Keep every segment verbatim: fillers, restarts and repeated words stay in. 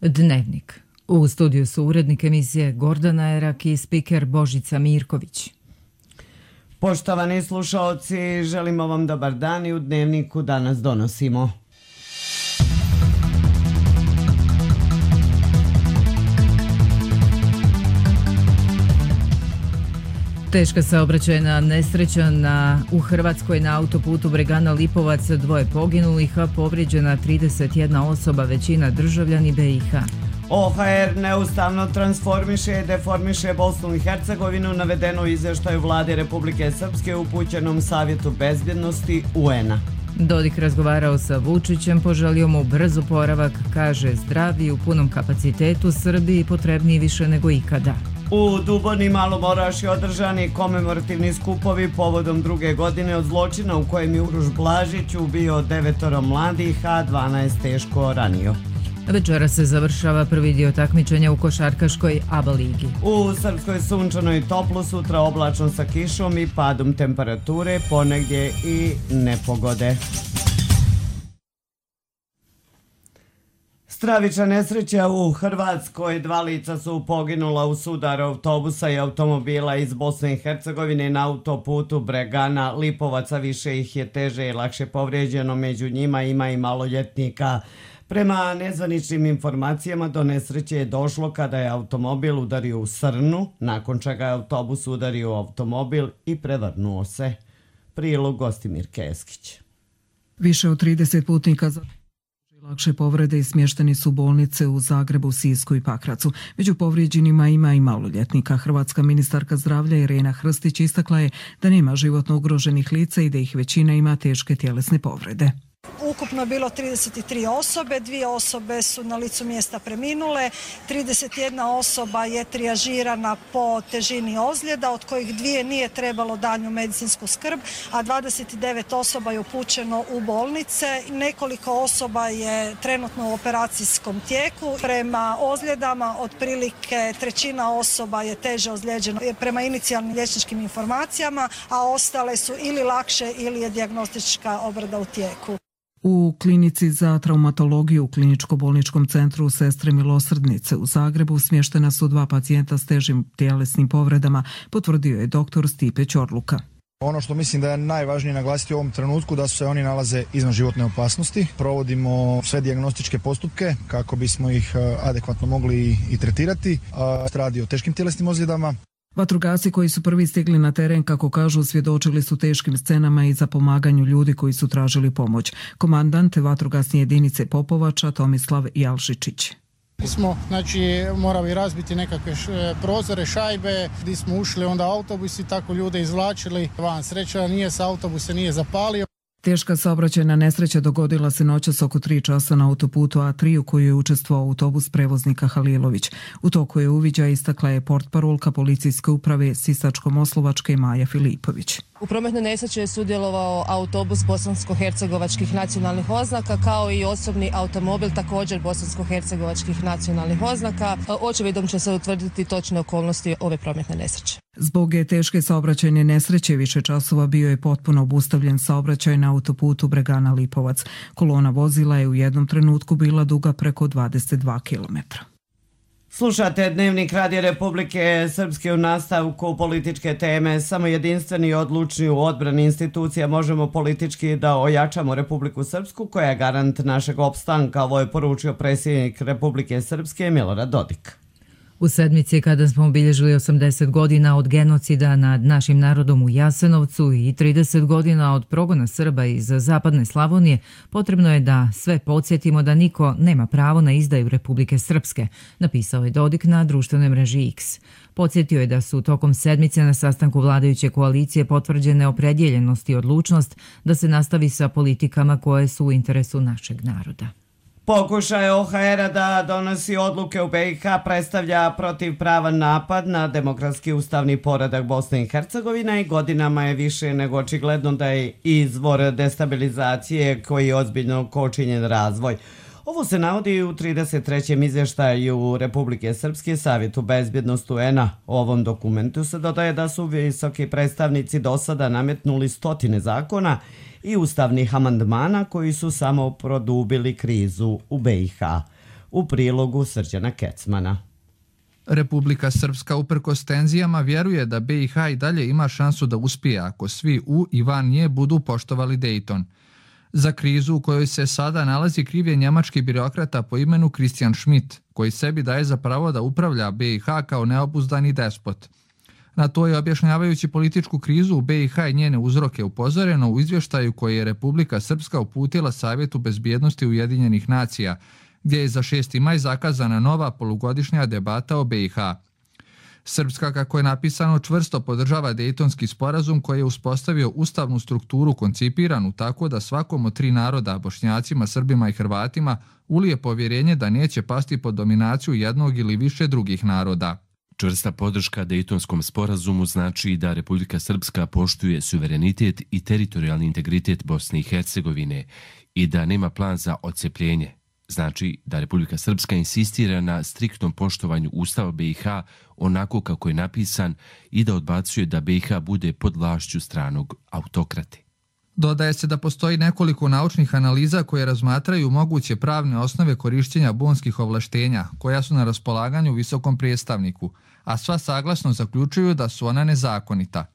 Dnevnik. U studiju su urednik emisije Gordana Erak i spiker Božica Mirković. Poštovani slušaoci, želimo vam dobar dan i u Dnevniku danas donosimo. Teška saobraćajna nesreća na, u Hrvatskoj na autoputu Bregana Lipovac, dvoje poginulih, a povrijeđena trideset jedna osoba, većina državljani be i ha. O ha er neustavno transformiše i deformiše Bosnu i Hercegovinu, navedeno u izvještaju vlade Republike Srpske upućenom Savjetu bezbjednosti u en a. Dodik razgovarao sa Vučićem, poželio mu brz oporavak, kaže zdravi u punom kapacitetu Srbiji potrebniji više nego ikada. U Duboni Malom Orašju održani komemorativni skupovi povodom druge godine od zločina u kojem je Uroš Blažić ubio devetoro mladih, a dvanaest teško ranio. Večera se završava prvi dio takmičenja u košarkaškoj A B A ligi. U Srpskoj sunčano i toplo, sutra oblačno sa kišom i padom temperature, ponegdje i nepogode. Stravična nesreća u Hrvatskoj, dva lica su poginula u sudaru autobusa i automobila iz Bosne i Hercegovine na autoputu Bregana Lipovac, a više ih je teže i lakše povrijeđeno, među njima ima i maloljetnika. Prema nezvaničnim informacijama do nesreće je došlo kada je automobil udario u srnu, nakon čega je autobus udario u automobil i prevrnuo se. Prilog Gostimir Keskić. Više od trideset putnika za lakše povrede i smješteni su bolnice u Zagrebu, Sisku i Pakracu. Među povrijeđenima ima i maloljetnika. Hrvatska ministarka zdravlja Irena Hrstić istakla je da nema životno ugroženih lica i da ih većina ima teške tjelesne povrede. Ukupno je bilo trideset tri osobe, dvije osobe su na licu mjesta preminule, trideset jedna osoba je trijažirana po težini ozljeda, od kojih dvije nije trebalo daljnju medicinsku skrb, a dvadeset devet osoba je upućeno u bolnice. Nekoliko osoba je trenutno u operacijskom tijeku. Prema ozljedama otprilike trećina osoba je teže ozlijeđeno prema inicijalnim liječničkim informacijama, a ostale su ili lakše ili je dijagnostička obrada u tijeku. U klinici za traumatologiju u kliničko-bolničkom centru Sestre Milosrdnice u Zagrebu smještena su dva pacijenta s težim tjelesnim povredama, potvrdio je doktor Stipe Ćorluka. Ono što mislim da je najvažnije naglasiti u ovom trenutku da se oni nalaze izvan životne opasnosti. Provodimo sve dijagnostičke postupke kako bismo ih adekvatno mogli i tretirati. Radi o teškim tjelesnim ozljedama. Vatrogasci koji su prvi stigli na teren, kako kažu, svjedočili su teškim scenama i za pomaganju ljudi koji su tražili pomoć. Komandant vatrogasne jedinice Popovača Tomislav Jalšičić. Smo, znači, morali razbiti nekakve š, prozore, šajbe, gdje smo ušli onda autobus i tako ljude izvlačili van. Sreća nije se autobus se nije zapalio. Teška saobraćajna nesreća dogodila se noćas oko tri časa na autoputu A tri u kojoj je učestvovao autobus prevoznika Halilović. U toku je uviđaja istakla je portparolka policijske uprave Sisačko-Moslavačke Maja Filipović. U prometnoj nesreći je sudjelovao autobus bosansko-hercegovačkih nacionalnih oznaka kao i osobni automobil također bosansko-hercegovačkih nacionalnih oznaka. Očevidom će se utvrditi točne okolnosti ove prometne nesreće. Zbog je teške saobraćajne nesreće više časova bio je potpuno obustavljen saobraćaj na autoputu Bregana Lipovac. Kolona vozila je u jednom trenutku bila duga preko dvadeset dva kilometra. Slušate Dnevnik Radija Republike Srpske. U nastavku političke teme. Samo jedinstveni i odlučni u odbrani institucija možemo politički da ojačamo Republiku Srpsku, koja je garant našeg opstanka. Ovo je poručio predsjednik Republike Srpske Milorad Dodik. U sedmici kada smo obilježili osamdeset godina od genocida nad našim narodom u Jasenovcu i trideset godina od progona Srba iz zapadne Slavonije, potrebno je da sve podsjetimo da niko nema pravo na izdaju Republike Srpske, napisao je Dodik na društvenoj mreži X. Podsjetio je da su tokom sedmice na sastanku vladajuće koalicije potvrđene opredjeljenost i odlučnost da se nastavi sa politikama koje su u interesu našeg naroda. Pokušaj o ha era da donosi odluke u be i ha predstavlja protivpravan napad na demokratski ustavni poredak Bosne i Hercegovine i godinama je više nego očigledno da je izvor destabilizacije koji ozbiljno kočinjen razvoj. Ovo se navodi u trideset trećem izvještaju Republike Srpske Savjetu bezbjednosti u en a. U ovom dokumentu se dodaje da su visoki predstavnici do sada nametnuli stotine zakona i ustavnih amandmana koji su samo produbili krizu u be i ha. u prilogu Srđana Kecmana. Republika Srpska uprkos tenzijama vjeruje da B i H i dalje ima šansu da uspije ako svi u i van nje budu poštovali Dejton. Za krizu u kojoj se sada nalazi kriv je njemački birokrata po imenu Christian Schmidt, koji sebi daje za pravo da upravlja B i H kao neobuzdani despot. Na to je objašnjavajući političku krizu u B i H i njene uzroke upozoreno u izvještaju koji je Republika Srpska uputila Savjetu bezbjednosti Ujedinjenih nacija, gdje je za šesti maj zakazana nova polugodišnja debata o B i H. Srpska, kako je napisano, čvrsto podržava Dejtonski sporazum koji je uspostavio ustavnu strukturu koncipiranu tako da svakom od tri naroda, Bošnjacima, Srbima i Hrvatima, ulije povjerenje da neće pasti pod dominaciju jednog ili više drugih naroda. Čvrsta podrška Dejtonskom sporazumu znači da Republika Srpska poštuje suverenitet i teritorijalni integritet Bosne i Hercegovine i da nema plan za odcepljenje. Znači da Republika Srpska insistira na striktnom poštovanju Ustava B i H onako kako je napisan i da odbacuje da B i H bude pod vlašću stranog autokrate. Dodaje se da postoji nekoliko naučnih analiza koje razmatraju moguće pravne osnove korišćenja bonskih ovlaštenja koja su na raspolaganju visokom predstavniku, a sva saglasno zaključuju da su ona nezakonita.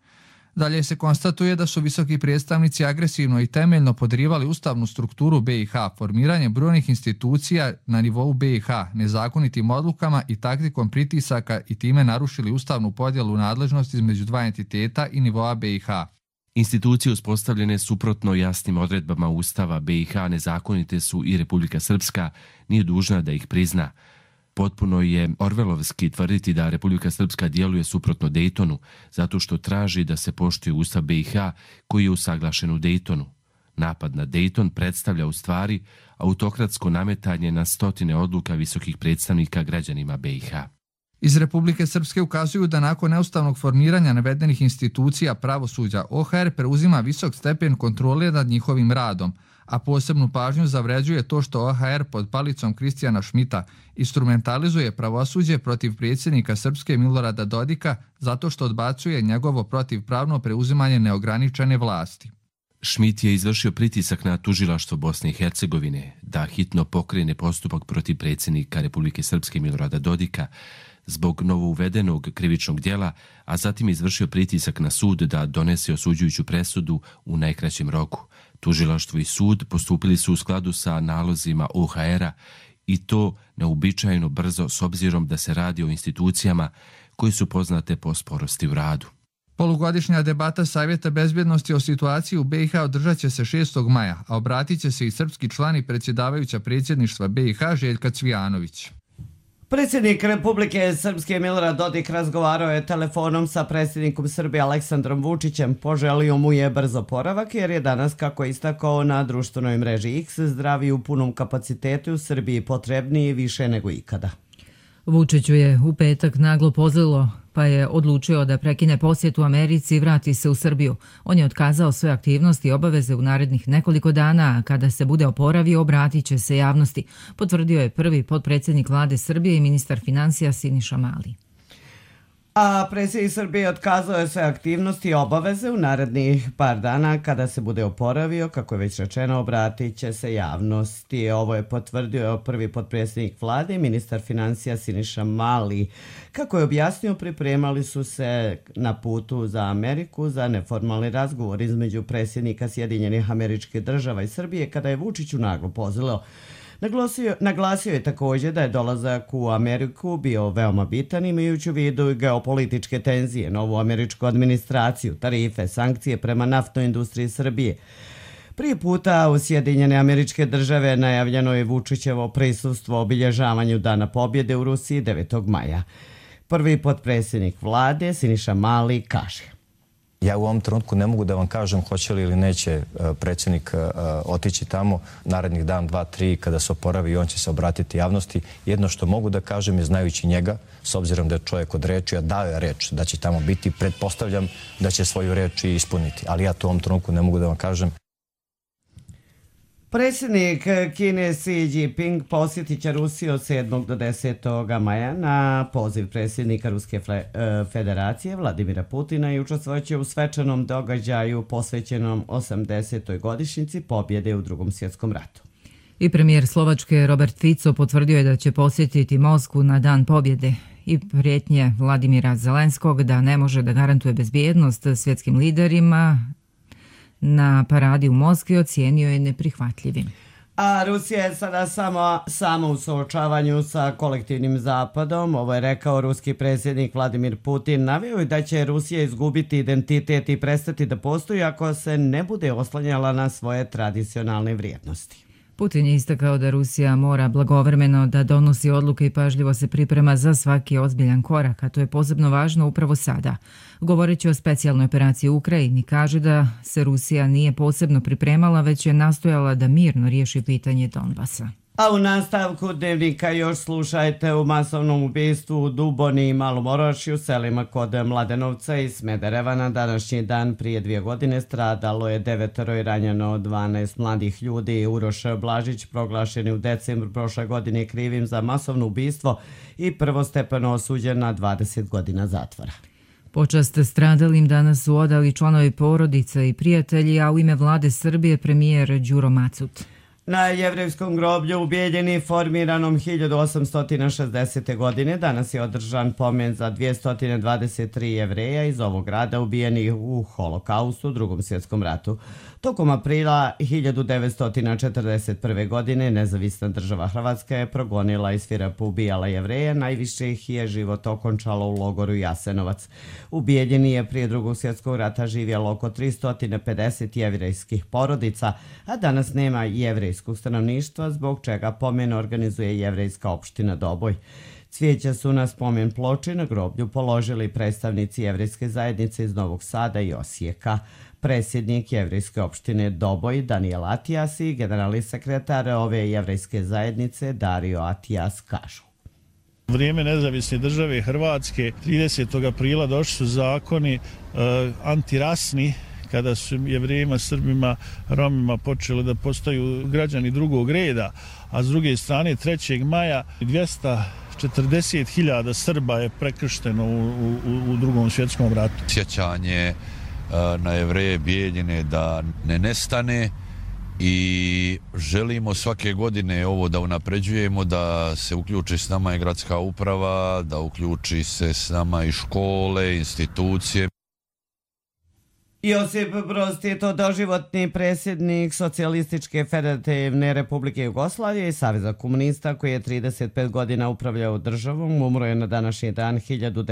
Dalje se konstatuje da su visoki predstavnici agresivno i temeljno podrivali ustavnu strukturu B i H, formiranje brojnih institucija na nivou B i H, nezakonitim odlukama i taktikom pritisaka i time narušili ustavnu podjelu nadležnosti između dva entiteta i nivoa B i H. Institucije uspostavljene suprotno jasnim odredbama Ustava B i H nezakonite su i Republika Srpska nije dužna da ih prizna. Potpuno je orvelovski tvrditi da Republika Srpska djeluje suprotno Dejtonu, zato što traži da se poštuje Ustav B i H koji je usaglašen u Dejtonu. Napad na Dejton predstavlja u stvari autokratsko nametanje na stotine odluka visokih predstavnika građanima B i H. Iz Republike Srpske ukazuju da nakon neustavnog formiranja navedenih institucija pravosuđa O H R preuzima visok stepen kontrole nad njihovim radom, a posebnu pažnju zavređuje to što O H R pod palicom Kristijana Šmita instrumentalizuje pravosuđe protiv predsjednika Srpske Milorada Dodika zato što odbacuje njegovo protivpravno preuzimanje neograničene vlasti. Schmidt je izvršio pritisak na tužilaštvo Bosne i Hercegovine da hitno pokrene postupak protiv predsjednika Republike Srpske Milorada Dodika zbog novouvedenog krivičnog djela, a zatim izvršio pritisak na sud da donese osuđujuću presudu u najkraćem roku. Tužilaštvo i sud postupili su u skladu sa nalozima O H R-a i to neuobičajeno brzo s obzirom da se radi o institucijama koje su poznate po sporosti u radu. Polugodišnja debata Savjeta bezbjednosti o situaciji u B i H održat će se šestog maja, a obratit će se i srpski član i predsjedavajuća predsjedništva B i H Željka Cvijanović. Predsjednik Republike Srpske Milorad Dodik razgovarao je telefonom sa predsjednikom Srbije Aleksandrom Vučićem. Poželio mu je brzo oporavak jer je danas, kako je istakao na društvenoj mreži X, zdravi u punom kapacitetu u Srbiji potrebniji više nego ikada. Vučiću je u petak naglo pozlilo, pa je odlučio da prekine posjet u Americi i vrati se u Srbiju. On je otkazao sve aktivnosti i obaveze u narednih nekoliko dana, a kada se bude oporavio, obratit će se javnosti, potvrdio je prvi potpredsjednik vlade Srbije i ministar financija Siniša Mali. A predsjednik Srbije otkazao je sve aktivnosti i obaveze u narednih par dana. Kada se bude oporavio, kako je već rečeno, obratit će se javnosti. Ovo je potvrdio prvi potpredsjednik vlade i ministar financija Siniša Mali. Kako je objasnio, pripremali su se na putu za Ameriku za neformalni razgovor između predsjednika Sjedinjenih Američkih Država i Srbije kada je Vučiću naglo pozvao. Naglasio, naglasio je također da je dolazak u Ameriku bio veoma bitan imajući u vidu geopolitičke tenzije, novu američku administraciju, tarife, sankcije prema naftnoj industriji Srbije. Prije puta u Sjedinjene Američke Države najavljeno je Vučićevo prisustvo obilježavanju Dana pobjede u Rusiji devetog maja. Prvi potpredsjednik vlade Siniša Mali kaže: Ja u ovom trenutku ne mogu da vam kažem hoće li ili neće predsjednik otići tamo narednih dan, dva, tri, kada se oporavi i on će se obratiti javnosti. Jedno što mogu da kažem je, znajući njega, s obzirom da je čovjek od reči, a dao je reč da će tamo biti, pretpostavljam da će svoju reč i ispuniti. Ali ja to u ovom trenutku ne mogu da vam kažem. Predsjednik Kine Xi Jinping posjetit će Rusiju od sedmog do desetog maja na poziv predsjednika Ruske federacije Vladimira Putina i učestvovat će u svečanom događaju posvećenom osamdesetoj godišnjici pobjede u Drugom svjetskom ratu. I premijer Slovačke Robert Fico potvrdio je da će posjetiti Moskvu na Dan pobjede i prijetnje Vladimira Zelenskog da ne može da garantuje bezbjednost svjetskim liderima na paradi u Moskvi ocijenio je neprihvatljivim. A Rusija je sada samo, samo u suočavanju sa kolektivnim zapadom. Ovo je rekao ruski predsjednik Vladimir Putin. Naveo je da će Rusija izgubiti identitet i prestati da postoji ako se ne bude oslanjala na svoje tradicionalne vrijednosti. Putin je istakao da Rusija mora blagovremeno da donosi odluke i pažljivo se priprema za svaki ozbiljan korak, a to je posebno važno upravo sada. Govoreći o specijalnoj operaciji u Ukrajini, kaže da se Rusija nije posebno pripremala, već je nastojala da mirno riješi pitanje Donbasa. A u nastavku dnevnika još slušajte u masovnom ubistvu u Duboni i Malom Orašju, selima kod Mladenovca i Smedereva. Na današnji dan prije dvije godine stradalo je devetero i ranjeno dvanaest mladih ljudi. Uroš Blažić, proglašen u decembru prošle godine krivim za masovno ubistvo i prvostepeno osuđen na dvadeset godina zatvora. Počast stradalim danas su odali članovi porodice i prijatelji, a u ime vlade Srbije premijer Đuro Macut. Na jevrejskom groblju u Bijeljini, formiranom hiljadu osamsto šezdesete. godine, danas je održan pomen za dvjesto dvadeset tri jevreja iz ovog grada ubijenih u Holokaustu, Drugom svjetskom ratu. Tokom aprila hiljadu devetsto četrdeset prve. godine nezavisna država Hrvatska je progonila i svirapa ubijala jevreje, najviše ih je život okončalo u logoru Jasenovac. U Bijeljini je prije Drugog svjetskog rata živjelo oko tristo pedeset jevrejskih porodica, a danas nema jevrejskog stanovništva, zbog čega pomen organizuje jevrejska opština Doboj. Cvijeća su na spomen ploči na groblju položili predstavnici jevrejske zajednice iz Novog Sada i Osijeka. Predsjednik jevrejske opštine Doboj Daniel Atijas i generalni sekretar ove jevrejske zajednice Dario Atijas kažu. Vrijeme nezavisne države Hrvatske, tridesetog aprila došli su zakoni e, antirasni, kada su Jevrejima, Srbima, Romima počeli da postaju građani drugog reda, a s druge strane trećeg maja dvjesto četrdeset hiljada Srba je prekršteno u, u, u Drugom svjetskom ratu. Sjećanje na Jevreje Bijeljine da ne nestane i želimo svake godine ovo da unapređujemo, da se uključi s nama i gradska uprava, da uključi se s nama i škole, institucije. Josip Broz Tito, doživotni predsjednik Socijalističke federativne Republike Jugoslavije i Saveza komunista, koji je trideset pet godina upravljao državom, umro je na današnji dan hiljadu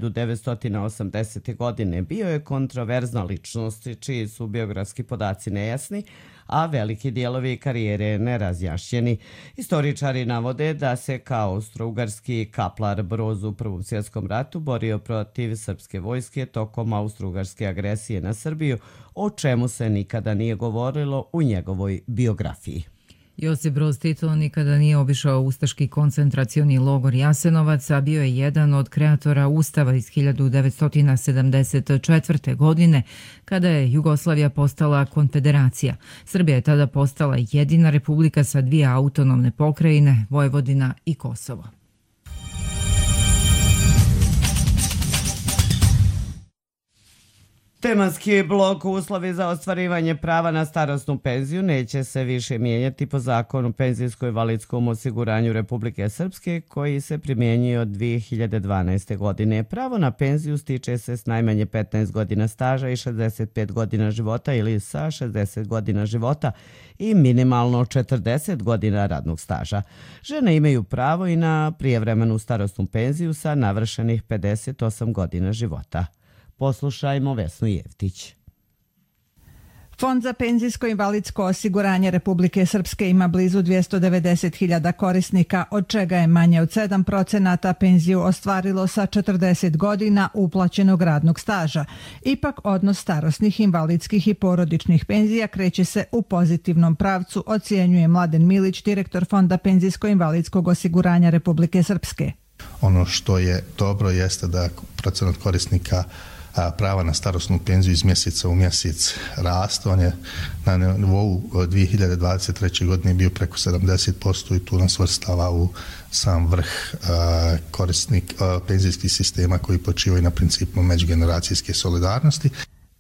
devetsto osamdesete. godine. Bio je kontroverzna ličnost, čiji su biografski podaci nejasni, a veliki dijelovi karijere nerazjašnjeni. Istoričari navode da se kao austrougarski kaplar Broz u Prvom svjetskom ratu borio protiv srpske vojske tokom austrougarske agresije na Srbiju, o čemu se nikada nije govorilo u njegovoj biografiji. Josip Broz Tito nikada nije obišao ustaški koncentracioni logor Jasenovac, a bio je jedan od kreatora Ustava iz hiljadu devetsto sedamdeset četvrte. godine, kada je Jugoslavija postala konfederacija. Srbija je tada postala jedina republika sa dvije autonomne pokrajine, Vojvodina i Kosovo. Tematski blok uslovi za ostvarivanje prava na starosnu penziju neće se više mijenjati po zakonu o penzijsko-invalidskom osiguranju Republike Srpske, koji se primjenjuje od dvije hiljade dvanaeste. godine. Pravo na penziju stiče se s najmanje petnaest godina staža i šezdeset pet godina života ili sa šezdeset godina života i minimalno četrdeset godina radnog staža. Žene imaju pravo i na prijevremenu starosnu penziju sa navršenih pedeset osam godina života. Poslušajmo Vesnu Jevtić. Fond za penzijsko-invalidsko osiguranje Republike Srpske ima blizu dvjesto devedeset hiljada korisnika, od čega je manje od sedam procenata penziju ostvarilo sa četrdeset godina uplaćenog radnog staža. Ipak odnos starosnih, invalidskih i porodičnih penzija kreće se u pozitivnom pravcu, ocjenjuje Mladen Milić, direktor Fonda penzijsko-invalidskog osiguranja Republike Srpske. Ono što je dobro jeste da procenat korisnika prava na starosnu penziju iz mjeseca u mjesec raste. On je na nivou dvije hiljade dvadeset treće. godine bio preko sedamdeset posto i tu nas svrstava u sam vrh korisnik penzijskih sistema koji počivaju na principu međugeneracijske solidarnosti.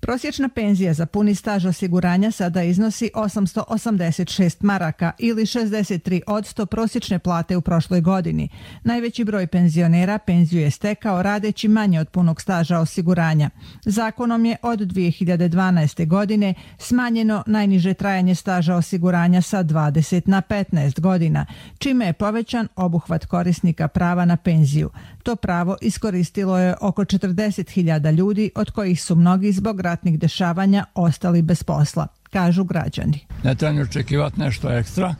Prosječna penzija za puni staž osiguranja sada iznosi osamsto osamdeset šest maraka ili šezdeset tri posto prosječne plate u prošloj godini. Najveći broj penzionera penziju je stekao radeći manje od punog staža osiguranja. Zakonom je od dvije hiljade dvanaeste. godine smanjeno najniže trajanje staža osiguranja sa dvadeset na petnaest godina, čime je povećan obuhvat korisnika prava na penziju. To pravo iskoristilo je oko četrdeset hiljada ljudi, od kojih su mnogi zbog ratnih dešavanja ostali bez posla, kažu građani. Ne treba očekivati nešto ekstra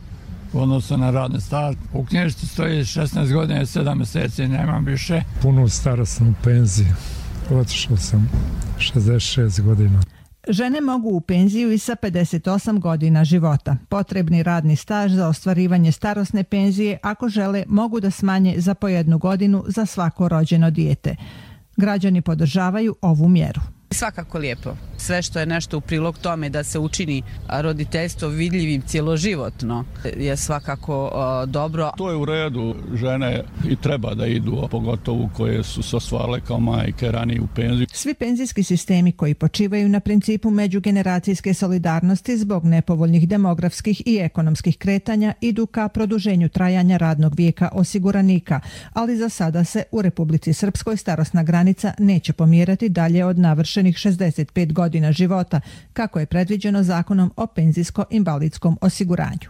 u odnosu na radni staž. U knjižici stoji šesnaest godina i sedam mjeseci, nemam više. Punu starosnu penziju. Otišao sam šezdeset šest godina. Žene mogu u penziju i sa pedeset osam godina života. Potrebni radni staž za ostvarivanje starosne penzije, ako žele, mogu da smanje za po jednu godinu za svako rođeno dijete. Građani podržavaju ovu mjeru. Svakako lijepo. Sve što je nešto u prilog tome da se učini roditeljstvo vidljivim cjeloživotno je svakako uh, dobro. To je u redu. Žene i treba da idu, pogotovo koje su se ostvarile kao majke ranije u penziju. Svi penzijski sistemi koji počivaju na principu međugeneracijske solidarnosti zbog nepovoljnih demografskih i ekonomskih kretanja idu ka produženju trajanja radnog vijeka osiguranika, ali za sada se u Republici Srpskoj starosna granica neće pomjerati dalje od navršenih šezdeset pet godina života, kako je predviđeno Zakonom o penzijsko-invalidskom osiguranju.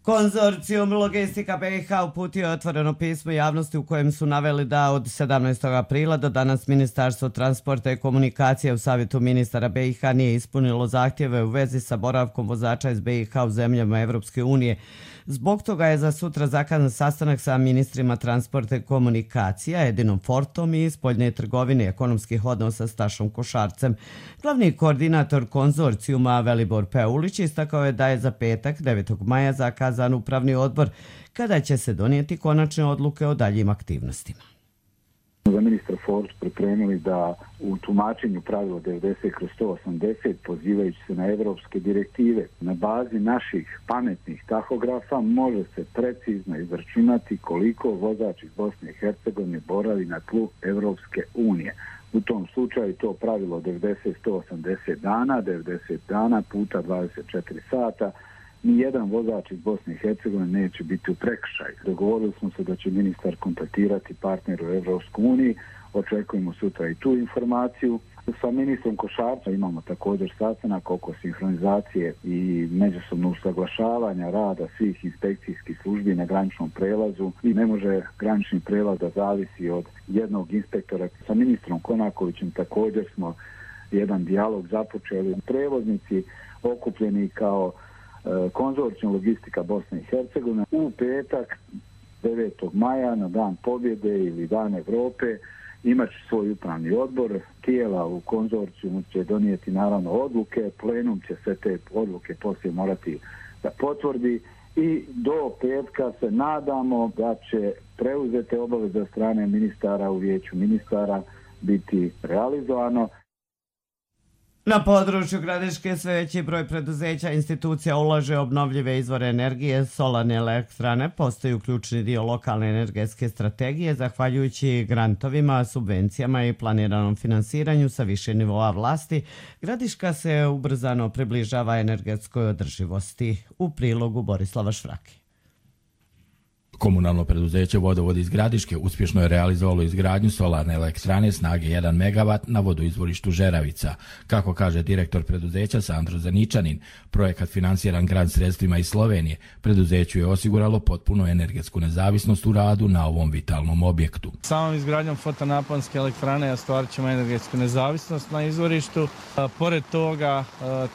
Konzorcijum Logistika B i H uputio je otvoreno pismo javnosti u kojem su naveli da od sedamnaestog aprila do danas Ministarstvo transporta i komunikacije u Savjetu ministara B i H nije ispunilo zahtjeve u vezi sa boravkom vozača iz B i H u zemljama Evropske unije. Zbog toga je za sutra zakazan sastanak sa ministrima transporta i komunikacija, Edinom Fortom i spoljne trgovine i ekonomskih odnosa Stašom Košarcem. Glavni koordinator konzorcijuma Velibor Peulić istakao je da je za petak devetog maja zakazan upravni odbor kada će se donijeti konačne odluke o daljim aktivnostima. Za ministra Ford pripremili da u tumačenju pravila devedeset kroz sto osamdeset pozivajući se na evropske direktive na bazi naših pametnih tahografa može se precizno izračunati koliko vozač iz Bosne i Hercegovine boravi na tlu Evropske unije. U tom slučaju to pravilo devedeset sto osamdeset dana, devedeset dana puta dvadeset četiri sata, nijedan vozač iz Bosne i Hercegovine neće biti u prekršaju. Dogovorili smo se da će ministar kontaktirati partner u Evropskoj uniji, očekujemo sutra i tu informaciju. Sa ministrom Košarca imamo također sastanak oko sinhronizacije i međusobnog usaglašavanja rada svih inspekcijskih službi na graničnom prelazu i ne može granični prelaz da zavisi od jednog inspektora. Sa ministrom Konakovićem također smo jedan dijalog započeli. Prevoznici okupljeni kao Konzorcijum Logistika Bosne i Hercegovine u petak devetog maja na dan pobjede ili dan Evrope imat će svoj upravni odbor. Tijela u konzorcijumu će donijeti naravno odluke, plenum će sve te odluke poslije morati da potvrdi i do petka se nadamo da će preuzete obaveze od strane ministara u vijeću ministara biti realizovano. Na području Gradiške sve veći broj preduzeća institucija ulaže obnovljive izvore energije, solarne elektrane postaju ključni dio lokalne energetske strategije zahvaljujući grantovima, subvencijama i planiranom finansiranju sa više nivoa vlasti. Gradiška se ubrzano približava energetskoj održivosti. U prilogu Borislava Švrake. Komunalno preduzeće Vodovod iz Gradiške uspješno je realizovalo izgradnju solarne elektrane snage jedan megavat na vodoizvorištu Žeravica. Kako kaže direktor preduzeća Sandro Zaničanin, projekat financiran grant sredstvima iz Slovenije, preduzeću je osiguralo potpuno energetsku nezavisnost u radu na ovom vitalnom objektu. Samom izgradnjom fotonaponske elektrane ostvarit ćemo energetsku nezavisnost na izvorištu. Pored toga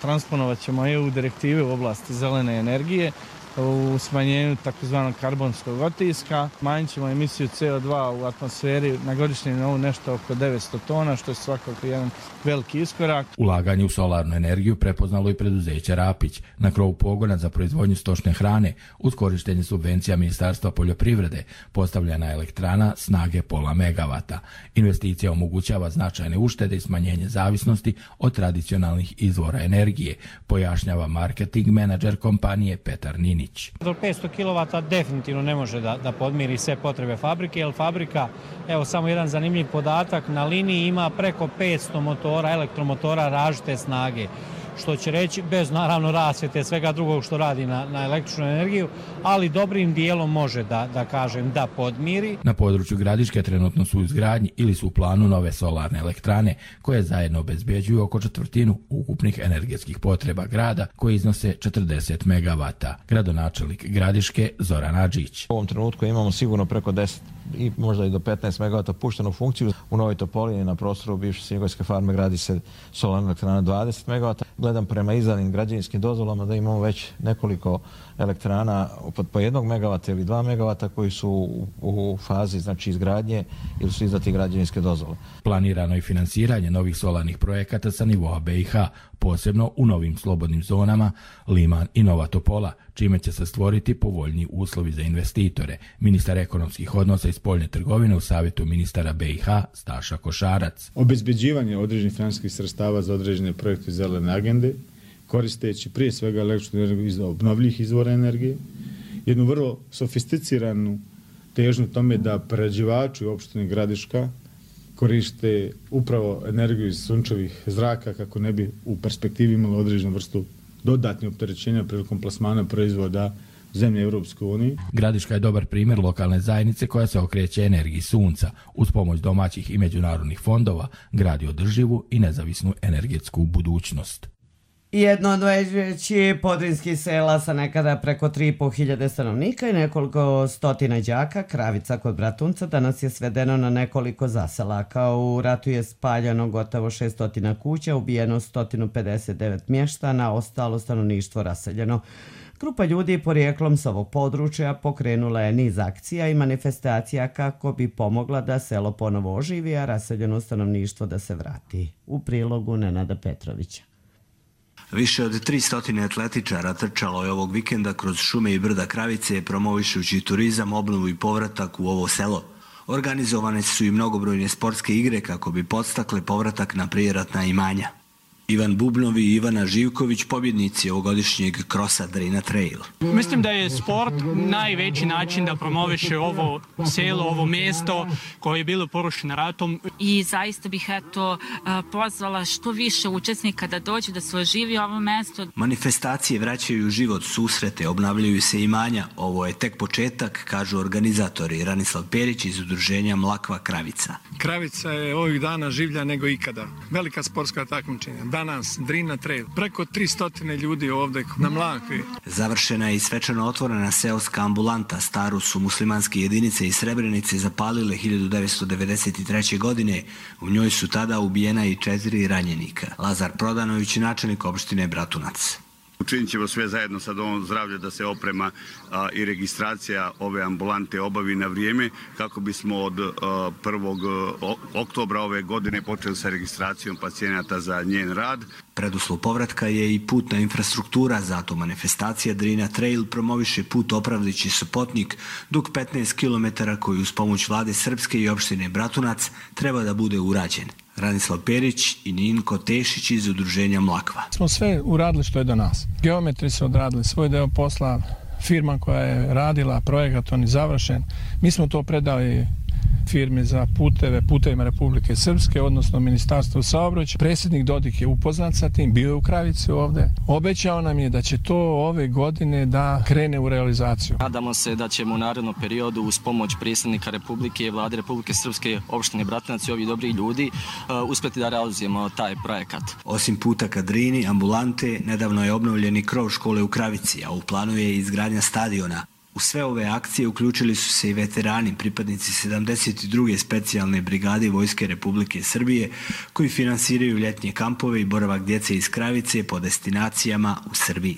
transponovat ćemo E U direktive u oblasti zelene energije, u smanjenju takozvanog karbonskog otiska. Manjit ćemo emisiju C O dva u atmosferi na godišnjem nivou nešto oko devetsto tona, što je svakako jedan veliki iskorak. Ulaganje u solarnu energiju prepoznalo i preduzeće Rapić. Na krovu pogona za proizvodnju stočne hrane uz korištenje subvencija Ministarstva poljoprivrede postavljena je elektrana snage pola megavata. Investicija omogućava značajne uštede i smanjenje zavisnosti od tradicionalnih izvora energije, pojašnjava marketing menadžer kompanije Petar Nini. Linić. Do petsto kilovata definitivno ne može da, da podmiri sve potrebe fabrike, jer fabrika, evo samo jedan zanimljiv podatak, na liniji ima preko petsto motora, elektromotora različite snage, što će reći bez naravno rasvjete svega drugog što radi na, na električnu energiju, ali dobrim dijelom može da, da kažem da podmiri. Na području Gradiške trenutno su u izgradnji ili su u planu nove solarne elektrane koje zajedno obezbeđuju oko četvrtinu ukupnih energetskih potreba grada koji iznose četrdeset megavata. Gradonačelnik Gradiške Zoran Adžić. U ovom trenutku imamo sigurno preko deset i možda i do petnaest megavata puštenu funkciju. U Novoj Topolini na prostoru bivše svinjogojske farme gradi se solarna elektrana dvadeset megavata. Gledam prema izdanim građevinskim dozvolama da imamo već nekoliko elektrana pod po jednog megavata ili dva megavata koji su u, u fazi znači izgradnje ili su izdati građevinske dozvole. Planirano je finansiranje novih solarnih projekata sa nivoa B i H, posebno u novim slobodnim zonama Liman i Nova Topola, čime će se stvoriti povoljni uslovi za investitore. Ministar ekonomskih odnosa i spoljne trgovine u savjetu ministara B i H Staša Košarac. Obezbeđivanje određenih financijskih sredstava za određene projekte zelene agende, koristeći prije svega električnu energiju iz obnovljivih izvora energije, jednu vrlo sofisticiranu težnju tome da prerađivači u opštini Gradiška koriste upravo energiju iz sunčevih zraka kako ne bi u perspektivi imali određenu vrstu dodatnih opterećenja prilikom plasmana proizvoda zemlje Europske unije. Gradiška je dobar primjer lokalne zajednice koja se okreće energiji sunca. Uz pomoć domaćih i međunarodnih fondova gradi održivu i nezavisnu energetsku budućnost. Jedno od većih podrinskih sela sa nekada preko tri i po hiljade stanovnika i nekoliko stotina đaka, Kravica kod Bratunca, danas je svedeno na nekoliko zaselaka. U ratu je spaljeno gotovo šesto kuća, ubijeno sto pedeset devet mještana, ostalo stanovništvo raseljeno. Grupa ljudi porijeklom s ovog područja pokrenula je niz akcija i manifestacija kako bi pomogla da selo ponovo oživi, a raseljeno stanovništvo da se vrati. U prilogu Nenada Petrovića. Više od tristo atletičara trčalo je ovog vikenda kroz šume i brda Kravice, promovišući turizam, obnovu i povratak u ovo selo. Organizovane su i mnogobrojne sportske igre kako bi podstakle povratak na prijeratna imanja. Ivan Bubnovi i Ivana Živković, pobjednici ovogodišnjeg krosa Drina Trail. Mislim da je sport najveći način da promoviše ovo selo, ovo mjesto koje je bilo porušeno ratom. I zaista bih eto pozvala što više učesnika da dođu da se oživi ovo mjesto. Manifestacije vraćaju život, susrete, obnavljaju se imanja. Ovo je tek početak, kažu organizatori. Ranislav Perić iz udruženja Mlakva Kravica. Kravica je ovih dana življa nego ikada. Velika sportska takmičenja. Danas Drina Trail. Preko tristo ljudi ovdje na Mlakvi. Završena je i svečano otvorena seoska ambulanta. Staru su muslimanske jedinice iz Srebrenice zapalile hiljadu devetsto devedeset treće. godine. U njoj su tada ubijena i četiri ranjenika. Lazar Prodanović, načelnik opštine Bratunac. Učinit ćemo sve zajedno sa Domom zdravlja da se oprema a, i registracija ove ambulante obavi na vrijeme kako bismo od a, prvog oktobra ove godine počeli sa registracijom pacijenata za njen rad. Preduslov povratka je i putna infrastruktura, zato manifestacija Drina Trail promoviše put Opravdići Sopotnik, dug petnaest kilometara koji uz pomoć vlade Srpske i opštine Bratunac treba da bude urađen. Ranislav Perić i Ninko Tešić iz udruženja Mlakva. Smo sve uradili što je do nas. Geometri su odradili svoj deo posla, firma koja je radila projekat, on je završen. Mi smo to predali firmi za puteve, putevima Republike Srpske, odnosno Ministarstvo saobraćaja. Predsjednik Dodik je upoznat sa tim, bio je u Kravici ovdje. Obećao nam je da će to ove godine da krene u realizaciju. Nadamo se da ćemo u narednom periodu uz pomoć predsjednika Republike i vlade Republike Srpske, opštine Bratunac i ovih dobrih ljudi uh, uspjeti da realizujemo taj projekat. Osim puta ka Drini, ambulante, nedavno je obnovljeni krov škole u Kravici, a u planu je izgradnja stadiona. U sve ove akcije uključili su se i veterani, pripadnici sedamdeset druge specijalne brigade Vojske Republike Srbije, koji finansiraju ljetnje kampove i boravak djece iz Kravice po destinacijama u Srbiji.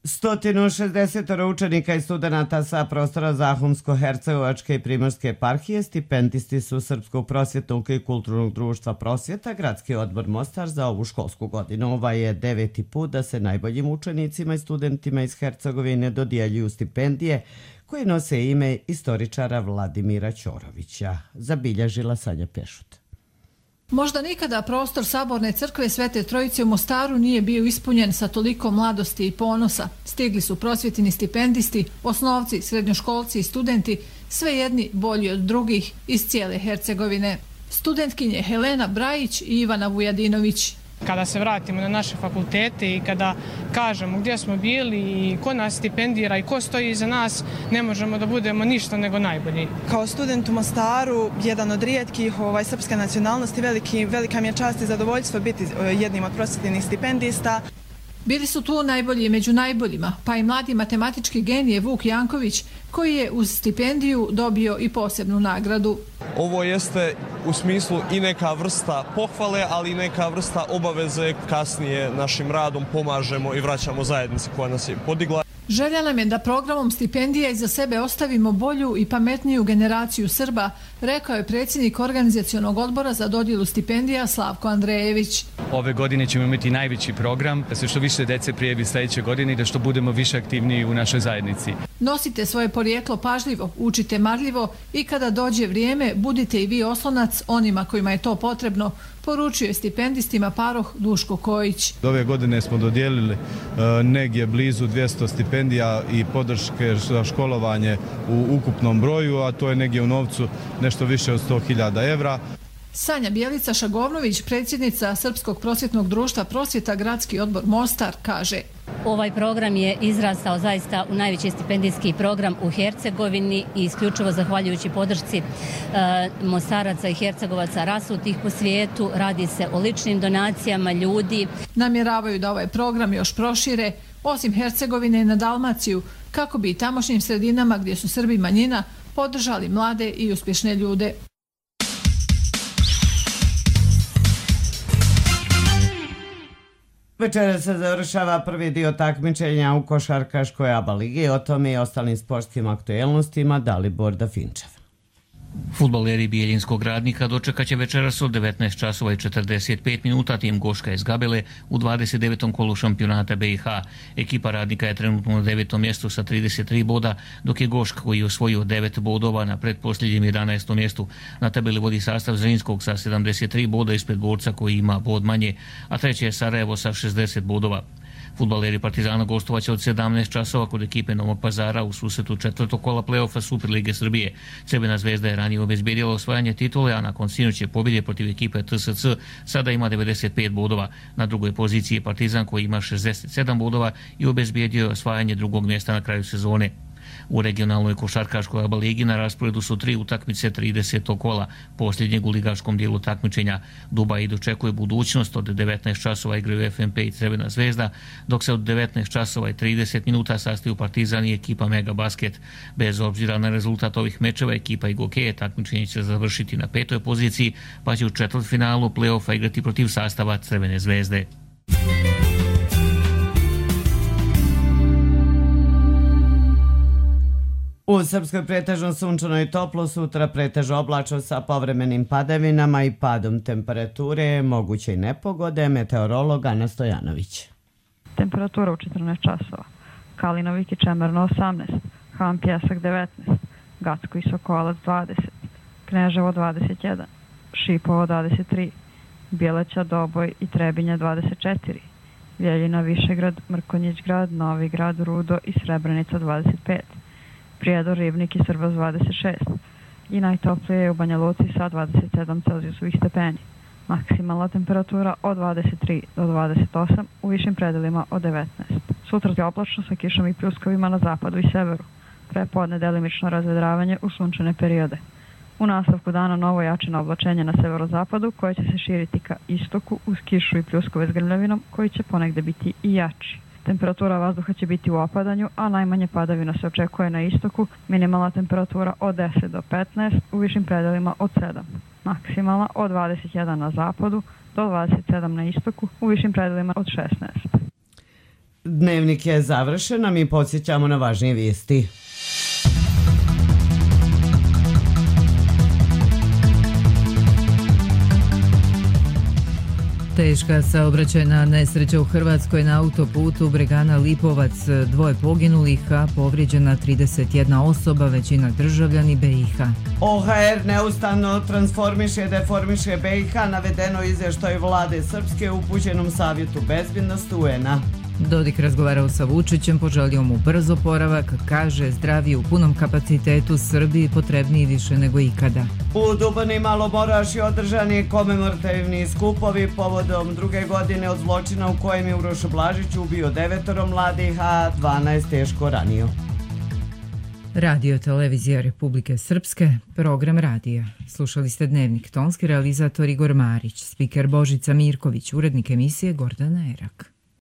sto šezdeset učenika i studenata sa prostora Zahumsko-Hercegovačke i Primorske eparhije stipendisti su Srpskog prosvjetnog i kulturnog društva Prosvjeta, Gradski odbor Mostar za ovu školsku godinu. Ova je deveti put da se najboljim učenicima i studentima iz Hercegovine dodjeljuju stipendije koje nose ime istoričara Vladimira Ćorovića. Zabilježila Sanja Pešut. Možda nikada prostor Saborne crkve Svete Trojice u Mostaru nije bio ispunjen sa toliko mladosti i ponosa. Stigli su prosvjetni stipendisti, osnovci, srednjoškolci i studenti, sve jedni bolji od drugih iz cijele Hercegovine. Studentkinje Helena Brajić i Ivana Vujadinović. Kada se vratimo na naše fakultete i kada kažemo gdje smo bili i ko nas stipendira i ko stoji iza nas, ne možemo da budemo ništa nego najbolji. Kao student u Mostaru, jedan od rijetkih ovaj, srpske nacionalnosti, veliki, velika mi je čast i zadovoljstvo biti jednim od prosvjetnih stipendista. Bili su tu najbolji među najboljima, pa i mladi matematički genije Vuk Janković, koji je uz stipendiju dobio i posebnu nagradu. Ovo jeste u smislu i neka vrsta pohvale, ali i neka vrsta obaveze. Kasnije našim radom pomažemo i vraćamo zajednici koja nas je podigla. Želja nam je da programom stipendija iza sebe ostavimo bolju i pametniju generaciju Srba, rekao je predsjednik organizacionog odbora za dodjelu stipendija Slavko Andrejević. Ove godine ćemo imati najveći program, da se što više dece prijavi sljedeće godine i da što budemo više aktivniji u našoj zajednici. Nosite svoje porijeklo pažljivo, učite marljivo i kada dođe vrijeme, budite i vi oslonac onima kojima je to potrebno, poručuje stipendistima paroh Duško Kojić. Ove godine smo dodijelili uh, negdje blizu dvjesto stipendija i podrške za školovanje u ukupnom broju, a to je negdje u novcu nešto više od sto hiljada evra. Sanja Bjelica Šagovnović, predsjednica Srpskog prosvjetnog društva Prosvjeta Gradski odbor Mostar, kaže: Ovaj program je izrastao zaista u najveći stipendijski program u Hercegovini i isključivo zahvaljujući podršci e, Mostaraca i Hercegovaca rasutih po svijetu. Radi se o ličnim donacijama ljudi. Namjeravaju da ovaj program još prošire, osim Hercegovine, na Dalmaciju, kako bi i tamošnjim sredinama gdje su Srbi manjina podržali mlade i uspješne ljude. Večera se završava prvi dio takmičenja u košarkaškoj A B A ligi. O tome i ostalim sportskim aktuelnostima Dalibor Dafinčev. Fudbaleri Bijeljinskog Radnika dočekat će večeras od devetnaest časova i četrdeset pet minuta tim Goška iz Gabele u dvadeset devetom kolu šampionata B i H. Ekipa Radnika je trenutno na devetom mjestu sa trideset tri boda, dok je Gošk, koji je osvojio devet bodova, na pretposljednjem jedanaestom mjestu. Na tabeli vodi sastav Zrinskog sa sedamdeset tri boda ispred Borca koji ima bod manje, a treće je Sarajevo sa šezdeset bodova. Fudbaleri Partizana gostovaće od sedamnaest časova kod ekipe Novog Pazara u susretu četvrtog kola play-offa Superlige Srbije. Crvena zvezda je ranije obezbjedila osvajanje titule, a nakon sinoćne pobjede protiv ekipe T S C sada ima devedeset pet bodova. Na drugoj poziciji je Partizan koji ima šezdeset sedam bodova i obezbjedio je osvajanje drugog mjesta na kraju sezone. U regionalnoj košarkaškoj A B A ligi na rasporedu su tri utakmice tridesetog kola, posljednjeg u ligaškom dijelu takmičenja. Dubaj dočekuje budućnost, od devetnaest časova igraju F N P i Crvena zvezda, dok se od devetnaest časova i trideset minuta sastaju Partizan i ekipa Mega Basket. Bez obzira na rezultat ovih mečeva, ekipa Igokeje takmičenje će završiti na petoj poziciji, pa će u četvrtfinalu play-offa igrati protiv sastava Crvene zvezde. U Srpskoj pretežno sunčano i toplo, sutra pretežno oblačno sa povremenim padavinama i padom temperature, moguće i nepogode. Meteorolog Ana Stojanović. Temperatura u četrnaest časova. Kalinovik i Čemerno osamnaest, Han Pjesak devetnaest, Gacko i Sokolac dvadeset, Kneževo dvadeset jedan, Šipovo dvadeset tri, Bjeleća, Doboj i Trebinje dvadeset četiri, Vjeljina, Višegrad, Mrkonjić grad, Novi grad, Rudo i Srebrenica dvadeset pet, Prijedor, Ribnik i Srbas dvadeset šest i najtoplije je u Banja Luci sa dvadeset sedam Celzijusovih stepeni. Maksimalna temperatura od dvadeset tri do dvadeset osam, u višim predelima od devetnaest. Sutra je oblačno sa kišom i pljuskovima na zapadu i severu. Prepodne delimično razvedravanje u sunčane periode. U nastavku dana novo jačeno oblačenje na severozapadu koje će se širiti ka istoku uz kišu i pljuskove s grmljavinom koji će ponegde biti i jači. Temperatura vazduha će biti u opadanju, a najmanje padavina se očekuje na istoku, minimalna temperatura od deset do petnaest, u višim predelima od sedam. Maksimalna od dvadeset jedan na zapadu do dvadeset sedam na istoku, u višim predelima od šesnaest. Dnevnik je završen, a mi podsjećamo na važnije vijesti. Teška saobraćajna nesreća u Hrvatskoj na autoputu Bregana Lipovac, dvoje poginulih, a povrijeđena trideset jedna osoba, većina državljani B i H. O H R neustavno transformiše, deformiše B i H, navedeno izvještaju vlade Srpske u upućenom savjetu bezbjednosti U N A. Dodik razgovarao sa Vučićem, poželio mu brzo oporavak, kaže zdravi u punom kapacitetu Srbiji potrebniji više nego ikada. U Duboni Malomoraši održani komemorativni skupovi povodom druge godine od zločina u kojem je Uroš Blažić ubio devetoro mladih, a dvanaest teško ranio. Radio Televizija Republike Srpske, program radija. Slušali ste Dnevnik, tonski realizator Igor Marić, spiker Božica Mirković, urednik emisije Gordana Erak.